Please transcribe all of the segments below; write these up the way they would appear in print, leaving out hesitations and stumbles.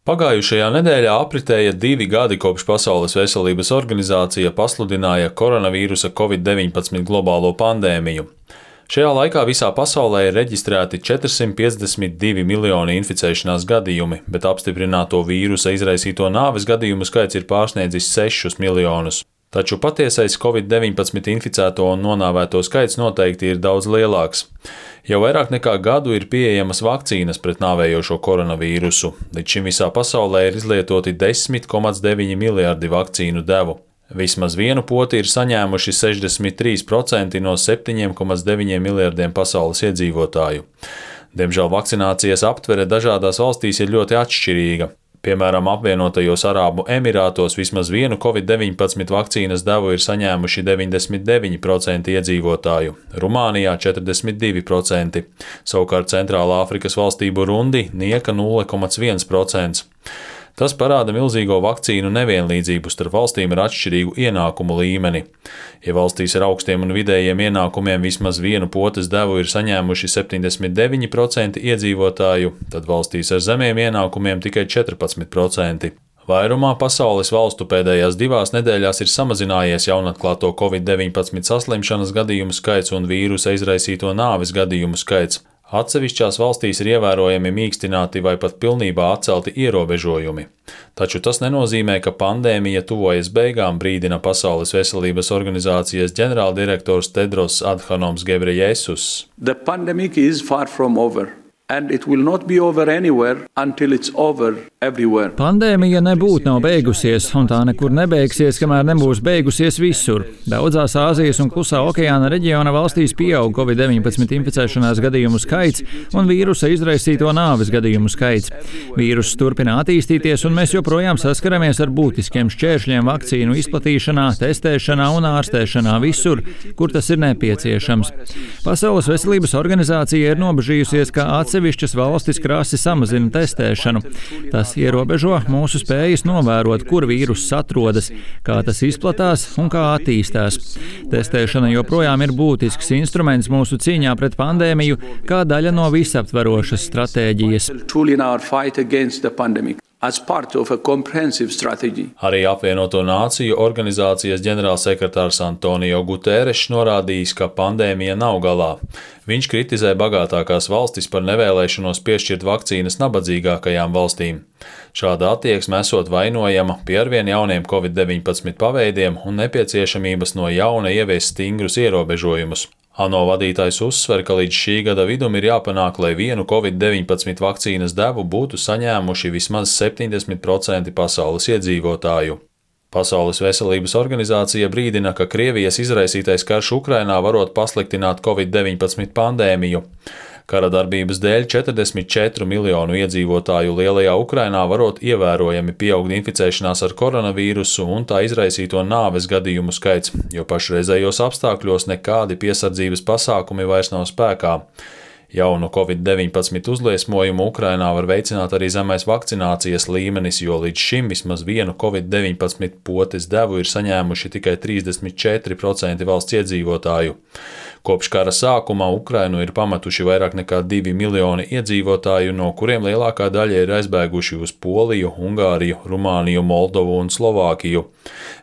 Pagājušajā nedēļā apritēja 2 gadi, kopš Pasaules veselības organizācija pasludināja koronavīrusa Covid-19 globālo pandēmiju. Šajā laikā visā pasaulē ir reģistrēti 452 miljoni inficēšanās gadījumi, bet apstiprināto vīrusa izraisīto nāves gadījumu skaits ir pārsniedzis 6 miljonus. Taču patiesais Covid-19 inficēto un nonāvēto skaits noteikti ir daudz lielāks. Jau vairāk nekā gadu ir pieejamas vakcīnas pret nāvējošo koronavīrusu. Līdz šim visā pasaulē ir izlietoti 10,9 miljardi vakcīnu devu. Vismaz vienu poti ir saņēmuši 63% no 7,9 miljardiem pasaules iedzīvotāju. Diemžēl vakcinācijas aptvere dažādās valstīs ir ļoti atšķirīga. Piemēram, apvienotajos Arābu Emirātos vismaz vienu Covid-19 vakcīnas devu ir saņēmuši 99% iedzīvotāju, Rumānijā 42%, savukārt Centrālā Afrikas valstī Burundi nieka 0,1%. Tas parāda milzīgo vakcīnu nevienlīdzību starp valstīm ar atšķirīgu ienākumu līmeni. Ja valstīs ar augstiem un vidējiem ienākumiem vismaz vienu potes devu ir saņēmuši 79% iedzīvotāju, tad valstīs ar zemiem ienākumiem tikai 14%. Vairumā pasaules valstu pēdējās 2 nedēļās ir samazinājies jaunatklāto Covid-19 saslimšanas gadījumu skaits un vīrusa izraisīto nāves gadījumu skaits. Atsevišķās valstīs ir ievērojami mīkstināti vai pat pilnībā atcelti ierobežojumi. Taču tas nenozīmē, ka pandēmija tuvojas beigām, brīdina Pasaules veselības organizācijas ģenerāldirektors Tedros Adhanoms Ghebreyesus. The pandemic is far from over. And it will not be over anywhere until it's over everywhere. Pandēmija nebūtu nav beigusies, un tā nekur nebeigsies, kamēr nebūs beigusies visur. Daudzās Āzijas un Klusā okeāna reģiona valstīs pieaug Covid-19 inficēšanās gadījumu skaits un vīrusa izraisīto nāves gadījumu skaits. Vīruss turpina attīstīties, un mēs joprojām saskaramies ar būtiskiem šķēršļiem vakcīnu izplatīšanā, testēšanā un ārstēšanā visur, kur tas ir nepieciešams. Pasaules veselības organizācija ir nobežījusies, ka atsevišķas valstis krasi samazina testēšanu. Tas ierobežo mūsu spējas novērot, kur vīruss atrodas, kā tas izplatās un kā attīstās. Testēšana joprojām ir būtisks instruments mūsu cīņā pret pandēmiju, kā daļa no visaptverošas stratēģijas. Arī apvienoto nāciju organizācijas ģenerālsekretārs Antonio Guterres norādījis, ka pandēmija nav galā. Viņš kritizē bagātākās valstis par nevēlēšanos piešķirt vakcīnas nabadzīgākajām valstīm. Šāda attieksme esot vainojama pie arvien jauniem Covid-19 paveidiem un nepieciešamības no jauna ieviest stingrus ierobežojumus. ANO vadītājs uzsver, ka līdz šī gada vidum ir jāpanāk, lai vienu Covid-19 vakcīnas devu būtu saņēmuši vismaz 70% pasaules iedzīvotāju. Pasaules veselības organizācija brīdina, ka Krievijas izraisītais karš Ukrainā varot pasliktināt Covid-19 pandēmiju. Kara darbības dēļ 44 miljonu iedzīvotāju lielajā Ukrainā varot ievērojami pieaugt inficēšanās ar koronavīrusu un tā izraisīto nāves gadījumu skaits, jo pašreizējos apstākļos nekādi piesardzības pasākumi vairs nav spēkā. Jaunu Covid-19 uzliesmojumu Ukrainā var veicināt arī zemais vakcinācijas līmenis, jo līdz šim vismaz vienu Covid-19 potes devu ir saņēmuši tikai 34% valsts iedzīvotāju. Kopš kara sākuma Ukrainu ir pametuši vairāk nekā 2 miljoni iedzīvotāju, no kuriem lielākā daļa ir aizbēguši uz Poliju, Ungāriju, Rumāniju, Moldovu un Slovākiju.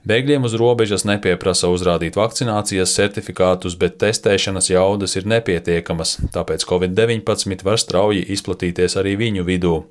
Bēgļiem uz robežas nepieprasa uzrādīt vakcinācijas certifikātus, bet testēšanas jaudas ir nepietiekamas, tāpēc Covid-19 var strauji izplatīties arī viņu vidū.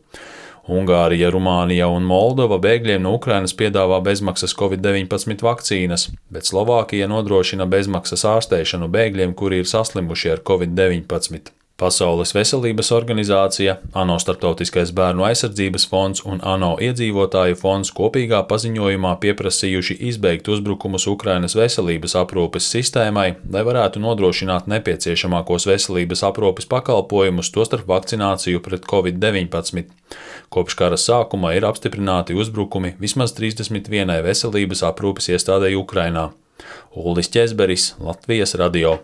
Ungārija, Rumānija un Moldova bēgļiem no Ukrainas piedāvā bezmaksas Covid-19 vakcīnas, bet Slovākija nodrošina bezmaksas ārstēšanu bēgļiem, kuri ir saslimuši ar Covid-19. Pasaules veselības organizācija, ANO Starptautiskais bērnu aizsardzības fonds un ANO iedzīvotāju fonds kopīgā paziņojumā pieprasījuši izbeigt uzbrukumus Ukrainas veselības aprūpes sistēmai, lai varētu nodrošināt nepieciešamākos veselības aprūpes pakalpojumus, tostarp vakcināciju pret Covid-19. Kopš kara sākuma ir apstiprināti uzbrukumi vismaz 31 veselības aprūpes iestādei Ukrainā. Uldis Ķezberis, Latvijas radio.